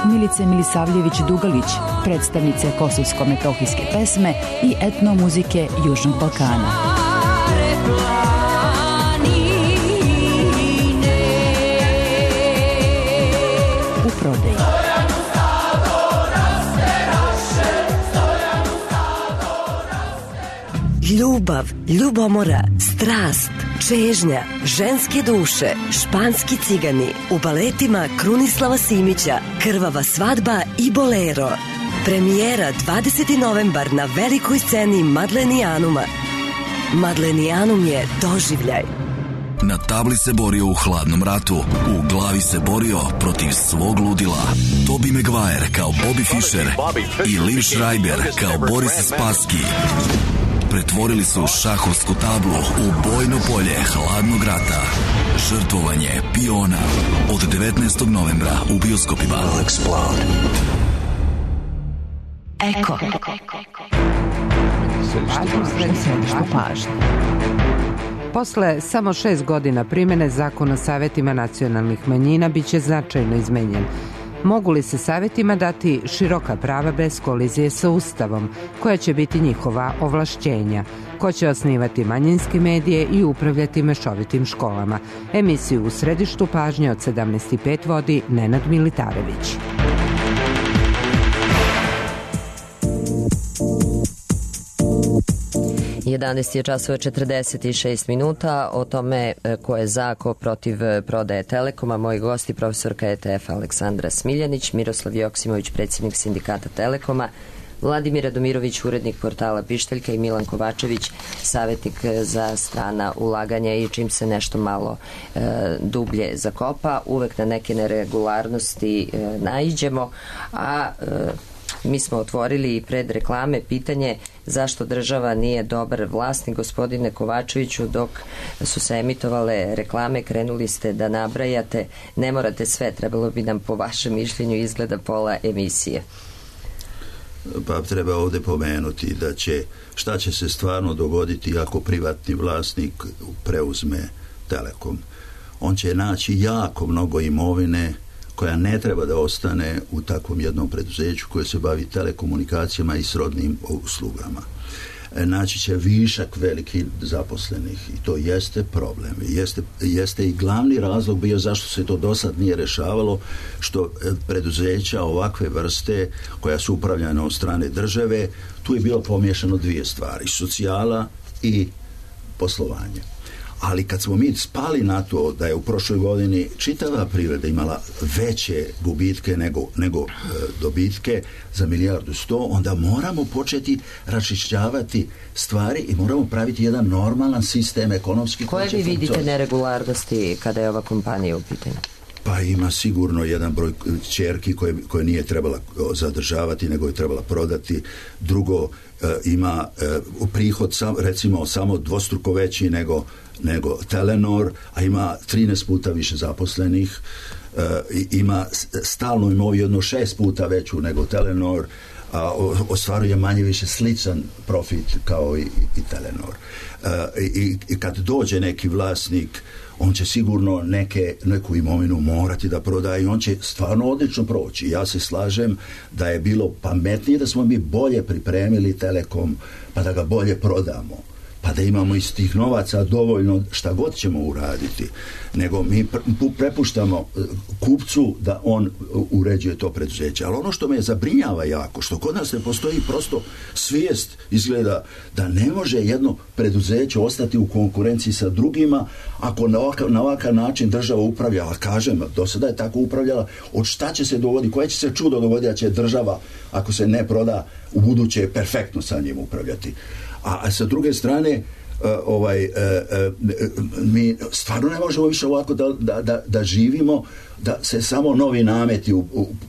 Milice Milisavljević-Dugalić, predstavnice kosovsko-metohijske pesme i etnomuzike Južnog Balkana. U prodaji. Ljubav, ljubomora, strast, čežnja, ženske duše, španski cigani, u baletima Krunislava Simića, Krvava svadba i Bolero. Premijera 20. novembar na velikoj sceni Madlenijanuma. Madlenijanum je doživljaj. Na tabli se borio u hladnom ratu, u glavi se borio protiv svog ludila. Tobey Maguire kao Bobby Fischer i Liv Schreiber kao Boris Spassky pretvorili su šahovsku tablu u bojno polje hladnog rata. Žrtvovanje piona od 19. novembra u bioskopima. Eko. Središte pažnje. Posle samo 6 godina primene Zakona o savetima nacionalnih manjina biće značajno izmenjen. Mogu li se savetima dati široka prava bez kolizije sa Ustavom, koja će biti njihova ovlašćenja? Ko će osnivati manjinske medije i upravljati mešovitim školama? Emisiju u središtu pažnje od 17:05 vodi Nenad Militarević. Je časova 46 minuta. O tome ko je za, ko protiv prodaje Telekoma. Moji gosti, profesorka ETF Aleksandra Smiljanić, Miroslav Joksimović, predsjednik sindikata Telekoma, Vladimir Radomirović, urednik portala Pištaljka i Milan Kovačević, savjetnik za strana ulaganja i čim se nešto malo dublje zakopa, uvek na neke neregularnosti naiđemo, a mi smo otvorili pred reklame pitanje zašto država nije dobar vlasnik. Gospodine Kovačeviću, dok su se emitovale reklame, krenuli ste da nabrajate, ne morate sve, trebalo bi nam po vašem mišljenju izgleda pola emisije. Pa treba ovdje pomenuti da šta će se stvarno dogoditi ako privatni vlasnik preuzme Telekom. On će naći jako mnogo imovine koja ne treba da ostane u takvom jednom preduzeću koje se bavi telekomunikacijama i srodnim uslugama. Naći će višak velikih zaposlenih i to jeste problem. Jeste i glavni razlog bio zašto se to do sad nije rešavalo, što preduzeća ovakve vrste koja su upravljana od strane države, tu je bilo pomiješano dvije stvari, socijala i poslovanje. Ali kad smo mi spali na to da je u prošloj godini čitava privreda imala veće gubitke nego dobitke za 1,1 milijardu, onda moramo početi raščišćavati stvari i moramo praviti jedan normalan sistem ekonomski. Koje vi vidite neregularnosti kada je ova kompanija u pitanju? Pa ima sigurno jedan broj ćerki koje nije trebala zadržavati, nego je trebala prodati. Drugo, ima prihod recimo samo dvostruko veći nego Telenor, a ima 13 puta više zaposlenih, ima stalnu imovinu jedno 6 puta veću nego Telenor, a ostvaruje manje više sličan profit kao i Telenor. I kad dođe neki vlasnik, on će sigurno neku imovinu morati da prodaje i on će stvarno odlično proći. Ja se slažem da je bilo pametnije da smo mi bolje pripremili Telekom pa da ga bolje prodamo. pa da imamo iz tih novaca dovoljno šta god ćemo uraditi, nego mi prepuštamo kupcu da on uređuje to preduzeće. Ali ono što me zabrinjava jako, što kod nas ne postoji prosto svijest, izgleda da ne može jedno preduzeće ostati u konkurenciji sa drugima ako na ovakav način država upravlja. A kažem, do sada je tako upravljala, od šta će se dogoditi, koje će se čudo dogoditi da će država, ako se ne proda, u buduće perfektno sa njim upravljati. A sa druge strane, mi stvarno ne možemo više ovako da živimo, da se samo novi nameti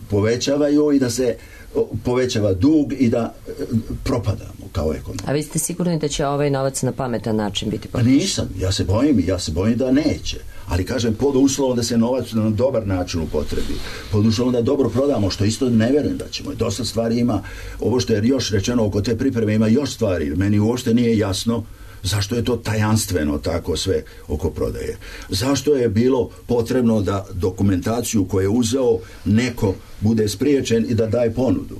povećavaju i da se povećava dug i da propadamo kao ekonomija. A vi ste sigurni da će ovaj novac na pametan način biti potrošen? Nisam, ja se bojim da neće. Ali kažem, pod uslovom da se novac na dobar način upotrebi, pod uslovom da dobro prodamo, što isto ne verujem da ćemo. Dosta stvari ima, ovo što je još rečeno oko te pripreme, ima još stvari. Meni uopšte nije jasno zašto je to tajanstveno tako sve oko prodaje. Zašto je bilo potrebno da dokumentaciju koju je uzeo neko bude spriječen i da daje ponudu?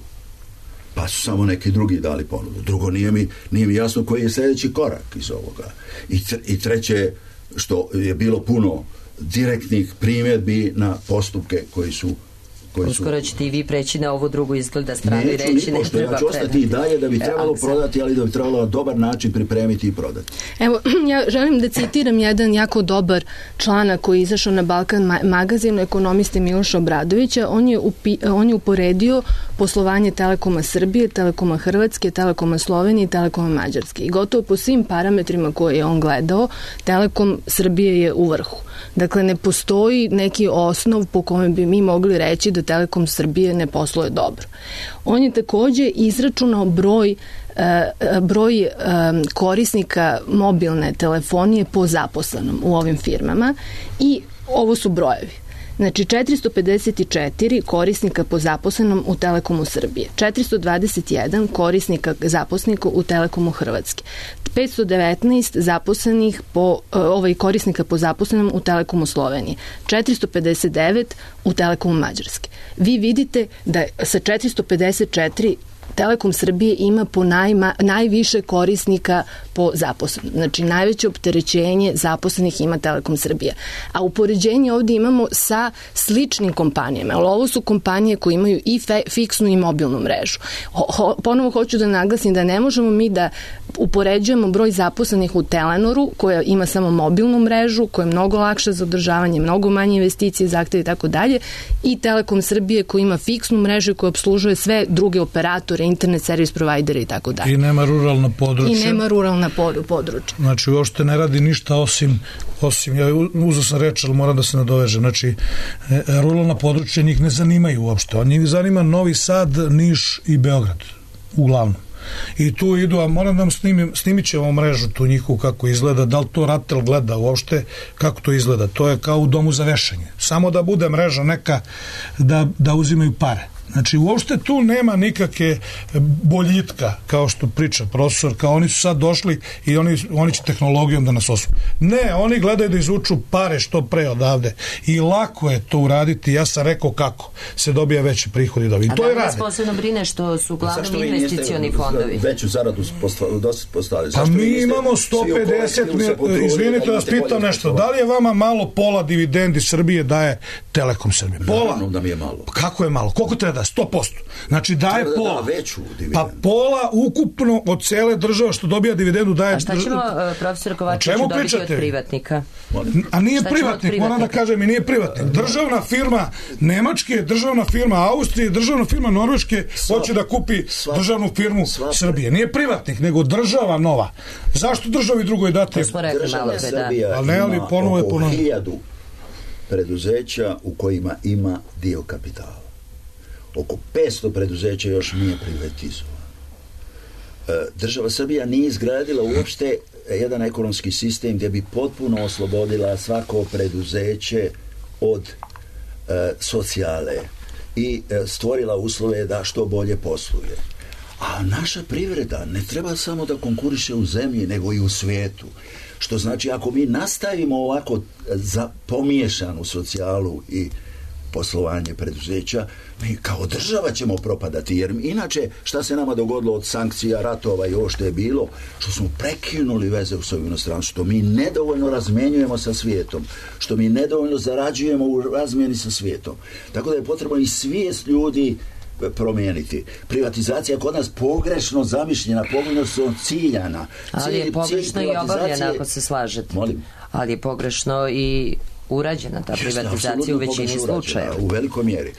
Pa su samo neki drugi dali ponudu. Drugo, nije mi jasno koji je sljedeći korak iz ovoga. I treće, što je bilo puno direktnih primjedbi na postupke koji su uskoro ćete i vi preći na ovu drugu izgleda stranu i reći ne treba. Ja ću ostati i dalje da bi trebalo prodati, ali da bi trebalo na dobar način pripremiti i prodati. Evo, ja želim da citiram jedan jako dobar članak koji je izašao na Balkan magazinu ekonomiste Miloša Obradovića. On je uporedio poslovanje Telekoma Srbije, Telekoma Hrvatske, Telekoma Slovenije i Telekoma Mađarske. I gotovo po svim parametrima koje je on gledao, Telekom Srbije je u vrhu. Dakle, ne postoji neki osnov po kome bi mi mogli reći da Telekom Srbije ne posluje dobro. On je takođe izračunao broj korisnika mobilne telefonije po zaposlenom u ovim firmama i ovo su brojevi. Znači, 454 korisnika po zaposlenom u Telekomu Srbije, 421 korisnika zaposlenika u Telekomu Hrvatske, 519 zaposlenih korisnika po zaposlenom u Telekomu Slovenije, 459 u Telekomu Mađarske. Vi vidite da sa 454 Telekom Srbije ima po najviše korisnika po zaposlenom. Znači, najveće opterećenje zaposlenih ima Telekom Srbija. A upoređenje ovdje imamo sa sličnim kompanijama. Ali ovo su kompanije koje imaju i fiksnu i mobilnu mrežu. Ponovo hoću da naglasim da ne možemo mi da upoređujemo broj zaposlenih u Telenoru, koja ima samo mobilnu mrežu, koja je mnogo lakša za održavanje, mnogo manje investicije, zahteve i tako dalje, i Telekom Srbije koja ima fiksnu mrežu i koja obslužuje sve druge operatore, internet servis provajdere i tako dalje. I nema ruralna područja. I nema ruralna područja. Znači, uopšte ne radi ništa osim ja uzeo sam reč, ali moram da se nadovežem. Znači, ruralna područja njih ne zanimaju uopšte. Njih zanima Novi Sad, Niš i Beograd, uglavnom. I tu idu, a moram da vam snimit ćemo mrežu tu njihovu kako izgleda, da li to RATEL gleda uopšte, kako to izgleda. To je kao u domu za vešanje. Samo da bude mreža neka da uzimaju pare. Znači, uopšte tu nema nikakve boljitka, kao što priča profesor, kao oni su sad došli i oni će tehnologijom da nas osvoju. Ne, oni gledaju da izvuču pare što pre odavde. I lako je to uraditi, ja sam rekao kako se dobija veći prihodi dobiti. A da li vas posebno brine što su uglavnom investicioni fondovi? Veću zaradu postavili. Pa mi imamo 150, izvinite da vas pitam nešto, da li je vama malo pola dividendi Srbije daje Telekom Srbije? Pola? Naravno da mi je malo. Kako je malo? Koliko treba da? 100%. Znači daje pola. Veću dividendu. Pa pola ukupno od cele države što dobija dividendu daje. A šta ćemo, profesor Kovačević, dobiti od privatnika? A nije privatnik, moram da kažem, i nije privatnik. Državna firma Nemačke, državna firma Austrije, državna firma Norveške hoće da kupi državnu firmu Srbije. Nije privatnik, nego država nova. Zašto državi drugoj dati? To smo rekli malo pre, da. Ali ne, ali ponovo je ponovo. 1000 preduzeća u kojima ima dio kapitala. Oko 500 preduzeća još nije privatizovano. Država Srbija nije izgradila uopšte jedan ekonomski sistem gdje bi potpuno oslobodila svako preduzeće od socijale i stvorila uslove da što bolje posluje. A naša privreda ne treba samo da konkuriše u zemlji, nego i u svijetu. Što znači, ako mi nastavimo ovako pomiješanu socijalu i poslovanje preduzeća, mi kao država ćemo propadati, jer inače šta se nama dogodilo od sankcija, ratova i ovo što je bilo, što smo prekinuli veze u svojom inostranstvu, što mi nedovoljno razmenjujemo sa svijetom, što mi nedovoljno zarađujemo u razmjeni sa svijetom. Tako da je potrebno i svijest ljudi promijeniti. Privatizacija kod nas pogrešno zamišljena, pogrešno ciljana. Ali je pogrešno i obavljena, ako se slažete. Molim? Ali je pogrešno i urađena ta privatizacija u većini slučajeva. U velikoj mjeri.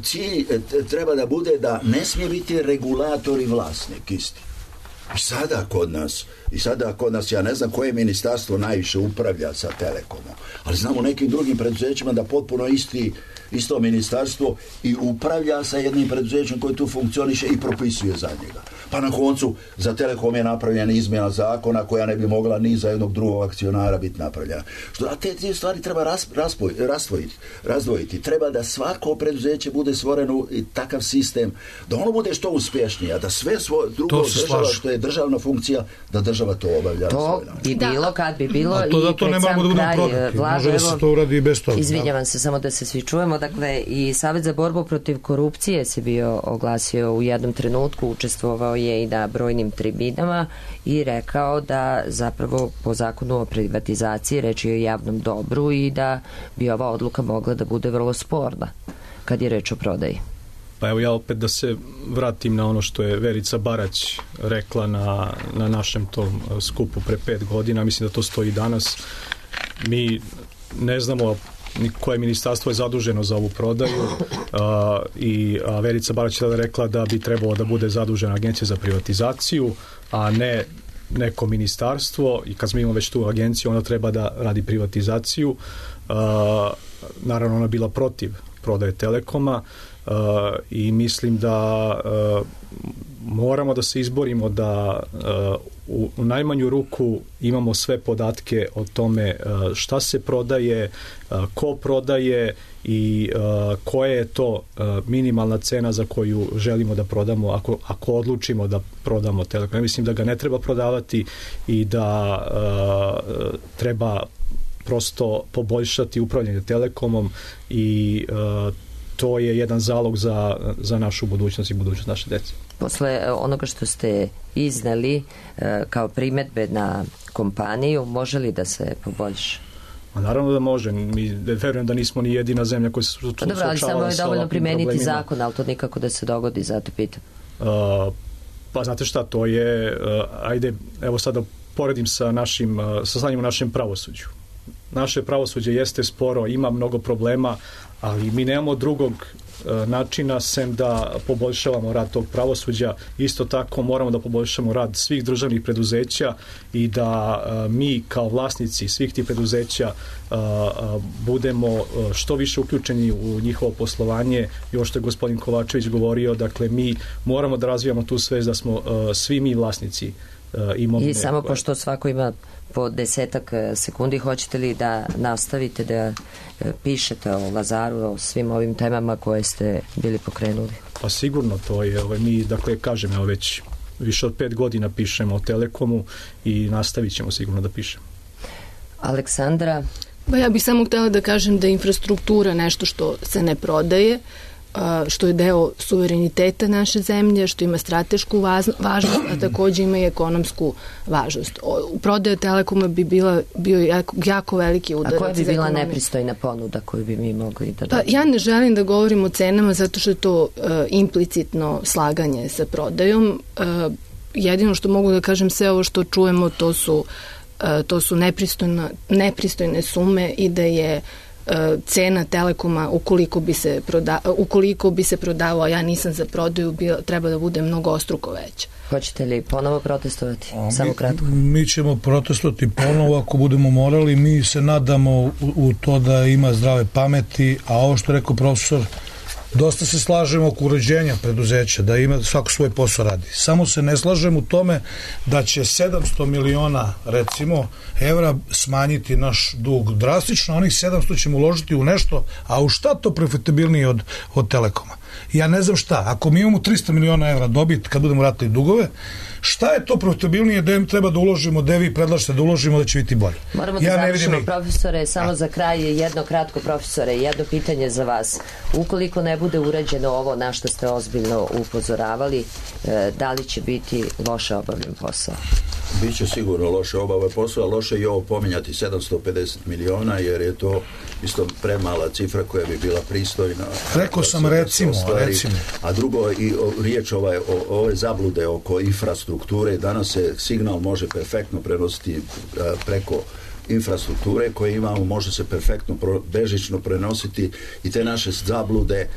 Cilj treba da bude da ne smije biti regulator i vlasnik isti. I sada kod nas, ja ne znam koje ministarstvo najviše upravlja sa Telekomom, ali znam u nekim drugim preduzećima da potpuno isto ministarstvo i upravlja sa jednim preduzećem koje tu funkcioniše i propisuje za njega. Pa na koncu za Telekom je napravljena izmjena zakona koja ne bi mogla ni za jednog drugog akcionara biti napravljena. A te stvari treba razdvojiti. Treba da svako preduzeće bude stvoreno i takav sistem, da ono bude što uspješnije, a da sve drugo država što je državna funkcija, da država to obavlja. To bi bilo kad bi bilo i pred sam kraj Vlade. Može da se to uradi i bez toga. Izvinjavam se, samo da se svi čujemo. Dakle, i Savjet za borbu protiv korupcije se bio oglasio u jednom trenutku, učestvovao je i na brojnim tribinama i rekao da zapravo po zakonu o privatizaciji reč je o javnom dobru i da bi ova odluka mogla da bude vrlo sporna kad je reč o prodaji. Pa evo ja opet da se vratim na ono što je Verica Barać rekla na našem tom skupu pre 5 godina, mislim da to stoji danas. Mi ne znamo koje ministarstvo je zaduženo za ovu prodaju i Verica Barać je rekla da bi trebalo da bude zadužena Agencija za privatizaciju, a ne neko ministarstvo, i kad smo imali već tu agenciju, ona treba da radi privatizaciju. Naravno, ona bila protiv prodaje Telekoma i mislim da moramo da se izborimo da u najmanju ruku imamo sve podatke o tome šta se prodaje, ko prodaje i koja je to minimalna cena za koju želimo da prodamo ako odlučimo da prodamo Telekom. Ja mislim da ga ne treba prodavati i da treba prosto poboljšati upravljanje Telekomom i to je jedan zalog za našu budućnost i budućnost naše dece. Posle onoga što ste izneli kao primedbe na kompaniju, može li da se poboljša? Naravno da može. Mi verujem da nismo ni jedina zemlja koja se suočavala sa ovakvim problemima. Dobro, ali samo je dovoljno primeniti zakon, ali to nikako da se dogodi, zato pitam. Pa znate šta, to je, ajde, evo sada poredim sa stanjem u našem pravosuđu. Naše pravosuđe jeste sporo, ima mnogo problema, ali mi nemamo drugog načina sem da poboljšavamo rad tog pravosuđa. Isto tako moramo da poboljšamo rad svih državnih preduzeća i da mi kao vlasnici svih tih preduzeća budemo što više uključeni u njihovo poslovanje. I ovo što je gospodin Kovačević govorio, dakle mi moramo da razvijamo tu svest da smo svi mi vlasnici imovine. I samo pošto svako ima po 10 sekundi, hoćete li da nastavite da pišete o Lazaru, o svim ovim temama koje ste bili pokrenuli? Pa sigurno, to je, mi, dakle, kažem, već više od 5 godina pišemo o Telekomu i nastavit ćemo sigurno da pišemo. Aleksandra? Pa ja bih samo htjela da kažem da je infrastruktura nešto što se ne prodaje, što je deo suvereniteta naše zemlje, što ima stratešku važnost, a također ima i ekonomsku važnost. U prodaju Telekoma bi bio jako veliki udarac. A koja bi bila nepristojna ponuda koju bi mi mogli da dobijemo? Ja ne želim da govorim o cenama zato što je to implicitno slaganje sa prodajom. Jedino što mogu da kažem, sve ovo što čujemo to su nepristojne sume i da je cena Telekoma ukoliko bi se prodavao, ja nisam za prodaju, treba da bude mnogostruko veća. Hoćete li ponovo protestovati? Samo kratko. Mi ćemo protestovati ponovo ako budemo morali. Mi se nadamo u to da ima zdrave pameti, a ovo što je rekao profesor, dosta se slažemo oko uređenja preduzeća, da ima svako svoj posao radi. Samo se ne slažemo u tome da će 700 miliona, recimo, evra smanjiti naš dug drastično, onih 700 ćemo uložiti u nešto, a u šta to profitabilnije od Telekoma? ja ne znam šta, ako mi imamo 300 miliona evra dobit kad budemo vratili dugove, šta je to profitabilnije da treba da uložimo, da vi predlažete da uložimo da će biti bolje? Moramo da završimo, profesore, samo za kraj jedno kratko, profesore, jedno pitanje za vas. Ukoliko ne bude urađeno ovo na što ste ozbiljno upozoravali, da li će biti loše obavljen posao? Biće sigurno loše obavljen posao, a loše je ovo pominjati 750 miliona, jer je to isto premala cifra koja bi bila pristojna. Rekao sam recimo. A drugo, i riječ ove zablude oko infrastrukture, danas se signal može perfektno prenositi preko infrastrukture koje imamo, može se perfektno bežično prenositi i te naše zablude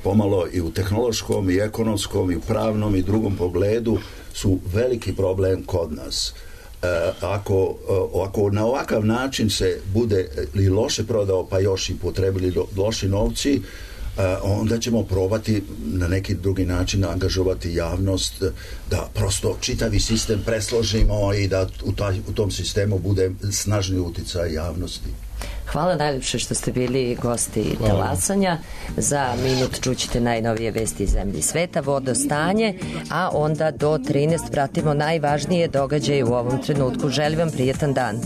pomalo i u tehnološkom i ekonomskom i u pravnom i drugom pogledu su veliki problem kod nas. Ako na ovakav način se bude li loše prodao pa još i potrebili loši novci, onda ćemo probati na neki drugi način angažovati javnost da prosto čitavi sistem presložimo i da u tom sistemu bude snažni uticaj javnosti. Hvala najljepše što ste bili gosti talasanja. Za minut čućete najnovije vesti iz zemlje i sveta, vodostanje, a onda do 13 pratimo najvažnije događaje u ovom trenutku. Želim vam prijetan dan.